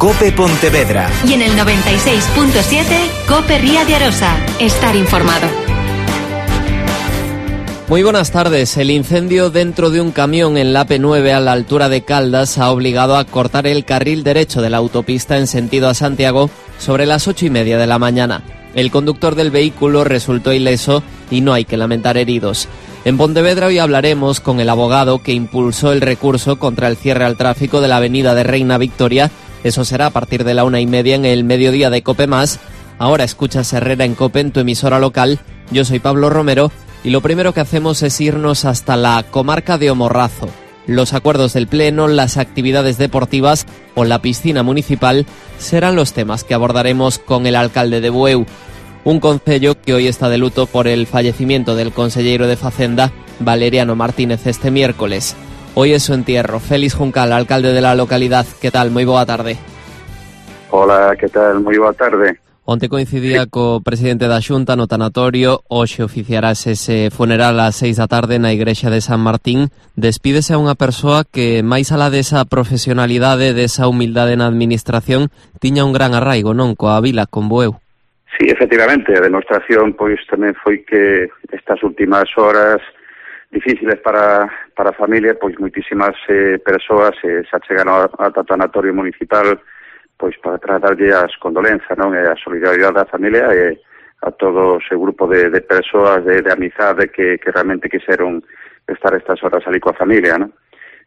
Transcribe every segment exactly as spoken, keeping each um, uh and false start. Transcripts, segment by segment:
COPE Pontevedra. Y en el noventa y seis punto siete, COPE Ría de Arosa. Estar informado. Muy buenas tardes. El incendio dentro de un camión en la A P nueve a la altura de Caldas ha obligado a cortar el carril derecho de la autopista en sentido a Santiago sobre las ocho y media de la mañana. El conductor del vehículo resultó ileso y no hay que lamentar heridos. En Pontevedra hoy hablaremos con el abogado que impulsó el recurso contra el cierre al tráfico de la avenida de Reina Victoria. Eso será a partir de la una y media en el mediodía de COPE Más. Ahora escuchas Herrera en COPE en tu emisora local. Yo soy Pablo Romero. Y lo primero que hacemos es irnos hasta la comarca de O Morrazo. Los acuerdos del Pleno, las actividades deportivas o la piscina municipal serán los temas que abordaremos con el alcalde de Bueu. Un concello que hoy está de luto por el fallecimiento del conselleiro de Facenda, Valeriano Martínez, este miércoles. Hoy es su entierro. Félix Juncal, alcalde de la localidad. ¿Qué tal? Moi boa tarde. Hola, ¿qué tal? Moi boa tarde. Onte coincidía sí. co presidente da Xunta no tanatorio. Hoxe oficiarás ese funeral ás seis da tarde na igrexa de San Martín. Despídese a unha persoa que, máis alá desa profesionalidade, desa humildade na administración, tiña un gran arraigo, non? Coa vila, con Bueu. Sí, efectivamente, a demostración pois tamén foi que estas últimas horas difíciles para, para a familia, pois moitísimas eh, persoas eh, se achegaron ao tanatorio municipal pois para tratarlle as condolenzas, non? E a solidaridade da familia e a todo ese grupo de, de persoas de, de amizade que, que realmente quixeron estar estas horas ali coa familia, non?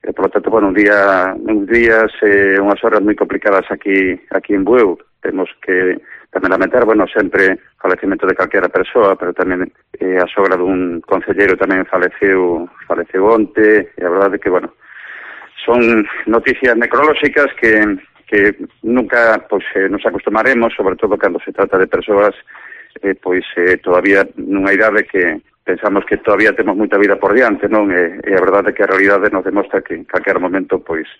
E, por lo tanto, bueno, un día, uns días, eh, unhas horas moi complicadas aquí aquí en Bueu. Temos que tamén lamentar, bueno, sempre o falecimento de calquera persoa, pero tamén eh, a sogra dun concelleiro tamén faleceu, faleceu onte, e a verdade é que, bueno, son noticias necrolóxicas que que nunca pois eh, nos acostumaremos, sobre todo cando se trata de persoas eh, pois eh, todavía nunha idade que pensamos que todavía temos moita vida por diante, non? E, e a verdade é que a realidade nos demostra que en calquer momento pois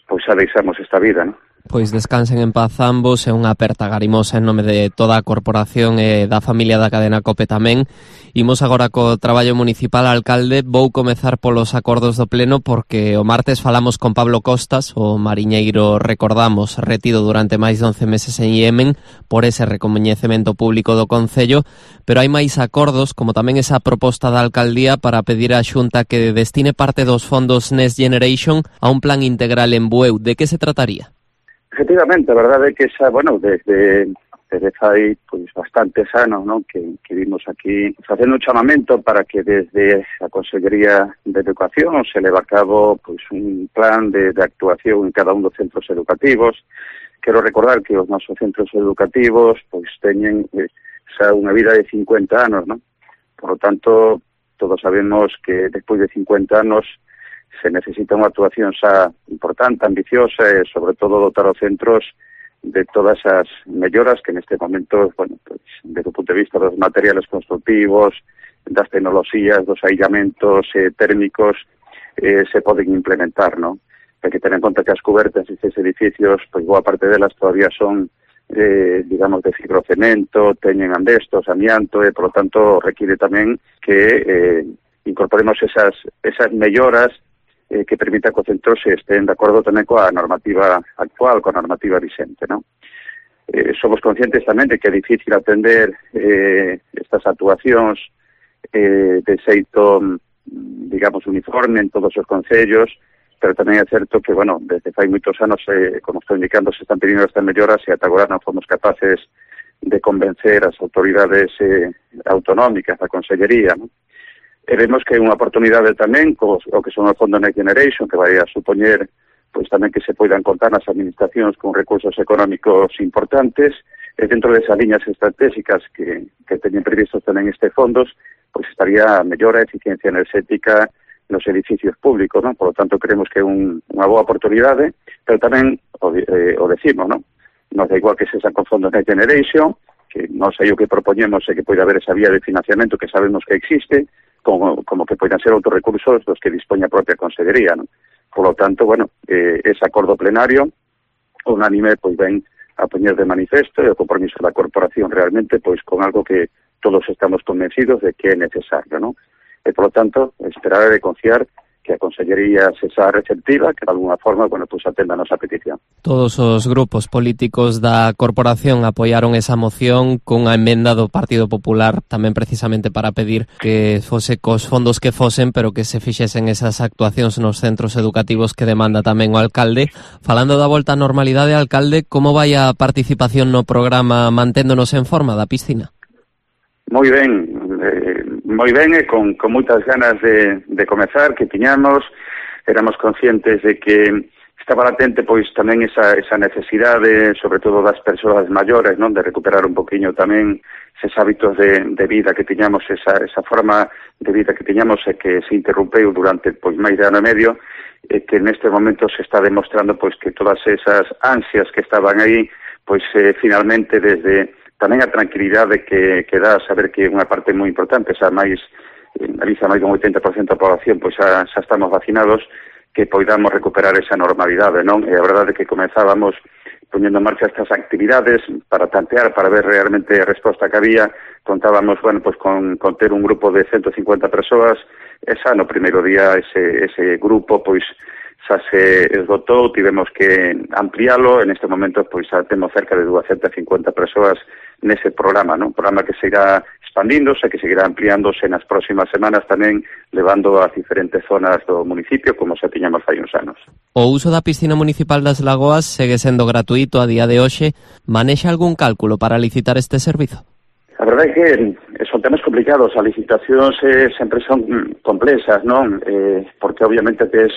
pois xa deixamos esta vida, non? Pois descansen en paz ambos, é unha aperta garimosa en nome de toda a corporación e da familia da cadena COPE tamén. Imos agora co traballo municipal, alcalde. Vou comezar polos acordos do Pleno porque o martes falamos con Pablo Costas, o mariñeiro, recordamos, retido durante máis de once meses en Iemen por ese recoñecemento público do Concello, pero hai máis acordos, como tamén esa proposta da alcaldía para pedir á Xunta que destine parte dos fondos Next Generation a un plan integral en Bueu. De que se trataría? Efectivamente, a verdade é que xa, bueno, desde, desde fai pois, bastantes anos, non? Que, que vimos aquí facendo un chamamento para que desde a Consellería de Educación se leva a cabo pois, un plan de, de actuación en cada un dos centros educativos. Quero recordar que os nosos centros educativos pois teñen eh, xa unha vida de cincuenta anos, non? Por lo tanto, todos sabemos que despois de cincuenta anos se necesita unha actuación xa importante, ambiciosa e, sobre todo, dotar os centros de todas as melloras que neste momento, bueno, pues, desde o punto de vista dos materiales constructivos, das tecnoloxías, dos aillamentos eh, térmicos, eh, se poden implementar, non? Hai que tener en conta que as cubertas destes edificios, pois boa parte delas todavía son, eh, digamos, de fibrocemento, teñen andestos, amianto, e, por lo tanto, requiere tamén que eh, incorporemos esas, esas melloras Eh, que permita que os centros estén de acordo tamén coa normativa actual, coa normativa vigente, non? Eh, somos conscientes tamén de que é difícil atender eh, estas actuacións eh, de xeito, digamos, uniforme en todos os concellos, pero tamén é certo que, bueno, desde fai moitos anos, eh, como estou indicando, se están pedindo estas melloras e ata agora non fomos capaces de convencer as autoridades eh, autonómicas da Consellería, non? E vemos que é unha oportunidade tamén co, o que son o Fondo Next Generation, que vai a supoñer pois tamén que se poidan contar nas administracións con recursos económicos importantes, e dentro desas liñas estratégicas que, que teñen previstos tamén este fondos, pois estaría a mellora a eficiencia enerxética nos edificios públicos, non? Por lo tanto, creemos que é un, unha boa oportunidade, pero tamén o, eh, o decimos, non? Nos da igual que se xa con Fondo Next Generation, que non sei o que propoñemos é que poida haber esa vía de financiamento que sabemos que existe, como, como que poidan ser outros recursos dos que dispoña a propia Consellería, non? Por lo tanto, bueno, eh, ese acordo plenario unánime pois ven a poñer de manifesto e o compromiso da corporación realmente pois con algo que todos estamos convencidos de que é necesario, non? E, por lo tanto, esperar e confiar que a Consellería se xa receptiva, que de alguna forma, bueno, pues atenda a nosa petición. Todos os grupos políticos da corporación apoiaron esa moción cunha emenda do Partido Popular tamén precisamente para pedir que fose cos fondos que fosen, pero que se fixesen esas actuacións nos centros educativos que demanda tamén o alcalde. Falando da volta á normalidade, alcalde, como vai a participación no programa Manténdonos en Forma da piscina? Moi ben, eh, moi ben e con, con moitas ganas de, de comezar, que tiñamos, éramos conscientes de que estaba latente pois tamén esa, esa necesidade, sobre todo das persoas maiores, non, de recuperar un poquinho tamén eses hábitos de, de vida que tiñamos, esa, esa forma de vida que tiñamos e que se interrumpeu durante pois máis de ano e medio, e que neste momento se está demostrando pois que todas esas ansias que estaban aí, pois eh, finalmente desde tamén a tranquilidade que, que dá saber que unha parte moi importante, xa máis, en Galicia máis dun oitenta por ciento da población, pois xa, xa estamos vacinados, que poidamos recuperar esa normalidade, non? E a verdade é que comezábamos poñendo en marcha estas actividades para tantear, para ver realmente a resposta que había. Contábamos, bueno, pois con, con ter un grupo de ciento cincuenta persoas, e xa no primeiro día ese, ese grupo, pois, xa se esgotou, tivemos que ampliálo, en este momento pois xa temos cerca de doscientas cincuenta persoas nese programa, non? Un programa que seguirá expandíndose, que seguirá ampliándose nas próximas semanas tamén, levando a diferentes zonas do municipio, como xa tiñamos hai uns anos. O uso da piscina municipal das Lagoas segue sendo gratuito a día de hoxe. Manexa algún cálculo para licitar este servizo? A verdade é que son temas complicados, as licitacións eh, sempre son complexas, non? Eh, porque obviamente tes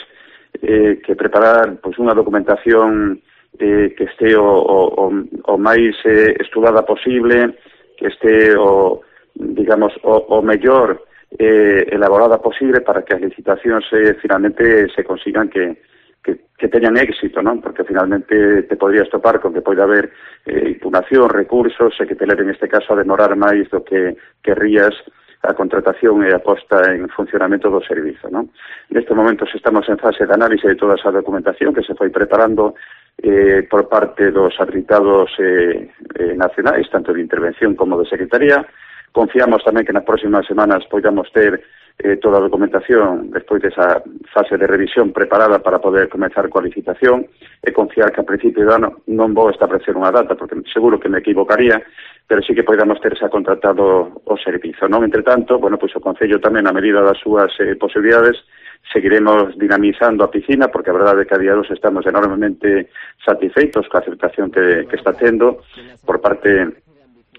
eh, que preparar pois, unha documentación eh, que este o, o, o máis eh, estudada posible, que este o, digamos, o, o mellor eh, elaborada posible para que as licitacións eh, finalmente se consigan que, que, que teñan éxito, non? Porque finalmente te podrías topar con que pode haber eh, impugnación, recursos, e que te leven neste caso a demorar máis do que querrías a contratación e a posta en funcionamento do servizo, non? Neste momento estamos en fase de análise de toda esa documentación que se foi preparando eh, por parte dos habilitados eh, eh, nacionais, tanto de intervención como de secretaría. Confiamos tamén que nas próximas semanas podamos ter eh, toda a documentación despois desa fase de revisión preparada para poder comenzar coa licitación, e confiar que a principio de ano non vou establecer unha data, porque seguro que me equivocaría, pero sí que podamos ter xa contratado o servizo, non? Entre tanto, bueno, pois o Concello tamén, a medida das súas eh, posibilidades, seguiremos dinamizando a piscina, porque a verdade é que a día dos estamos enormemente satisfeitos coa aceptación que, que está tendo por parte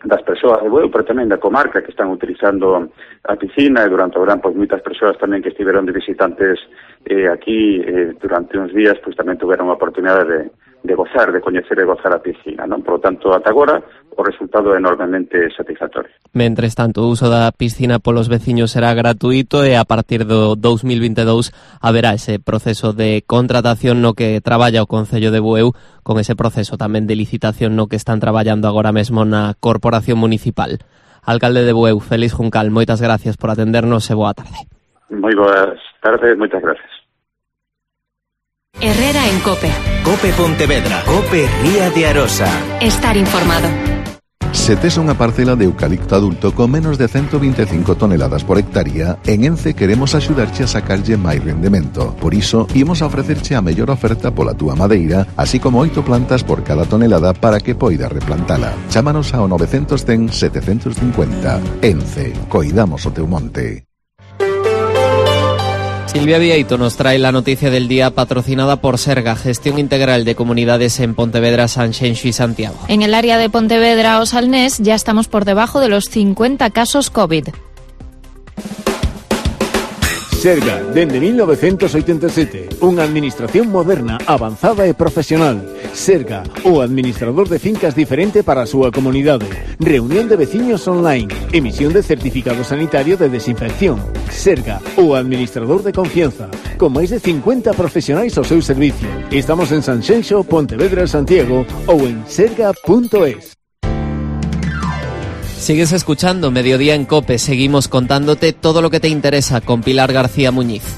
das persoas de Bueu, pero tamén da comarca que están utilizando a piscina, e durante o verán, pois, moitas persoas tamén que estiveron de visitantes eh, aquí eh, durante uns días, pois tamén tuveron a oportunidade de, de gozar, de coñecer e gozar a piscina, non? Por lo tanto, ata agora, o resultado é enormemente satisfactorio. Mentres tanto, o uso da piscina polos veciños será gratuito, e a partir do dous mil vinte e dous haberá ese proceso de contratación no que traballa o Concello de Bueu, con ese proceso tamén de licitación no que están traballando agora mesmo na Corporación Municipal. Alcalde de Bueu, Félix Juncal, moitas gracias por atendernos e boa tarde. Moi boas tardes, moitas gracias. Herrera en COPE. COPE Pontevedra. COPE Ría de Arosa. Estar informado. Se tes unha parcela de eucalipto adulto con menos de ciento veinticinco toneladas por hectárea, en Ence queremos axudarche a sacarlle máis rendemento. Por iso, imos a ofrecerche a mellor oferta pola túa madeira, así como oito plantas por cada tonelada para que poidas replantala. Chámanos ao novecientos cen setecentos cincuenta. Ence, coidamos o teu monte. Silvia Vieito nos trae la noticia del día, patrocinada por Serga, Gestión Integral de Comunidades en Pontevedra, Sanxenxo y Santiago. En el área de Pontevedra o Salnés ya estamos por debajo de los cincuenta casos COVID. Serga, dende mil novecientos oitenta e sete, unha administración moderna, avanzada e profesional. Serga, o administrador de fincas diferente para a súa comunidade. Reunión de veciños online, emisión de certificado sanitario de desinfección. Serga, o administrador de confianza, con máis de cincuenta profesionais ao seu servicio. Estamos en Sanxenxo, Pontevedra, Santiago ou en serga punto es. Sigues escuchando Mediodía en COPE, seguimos contándote todo lo que te interesa con Pilar García Muñiz.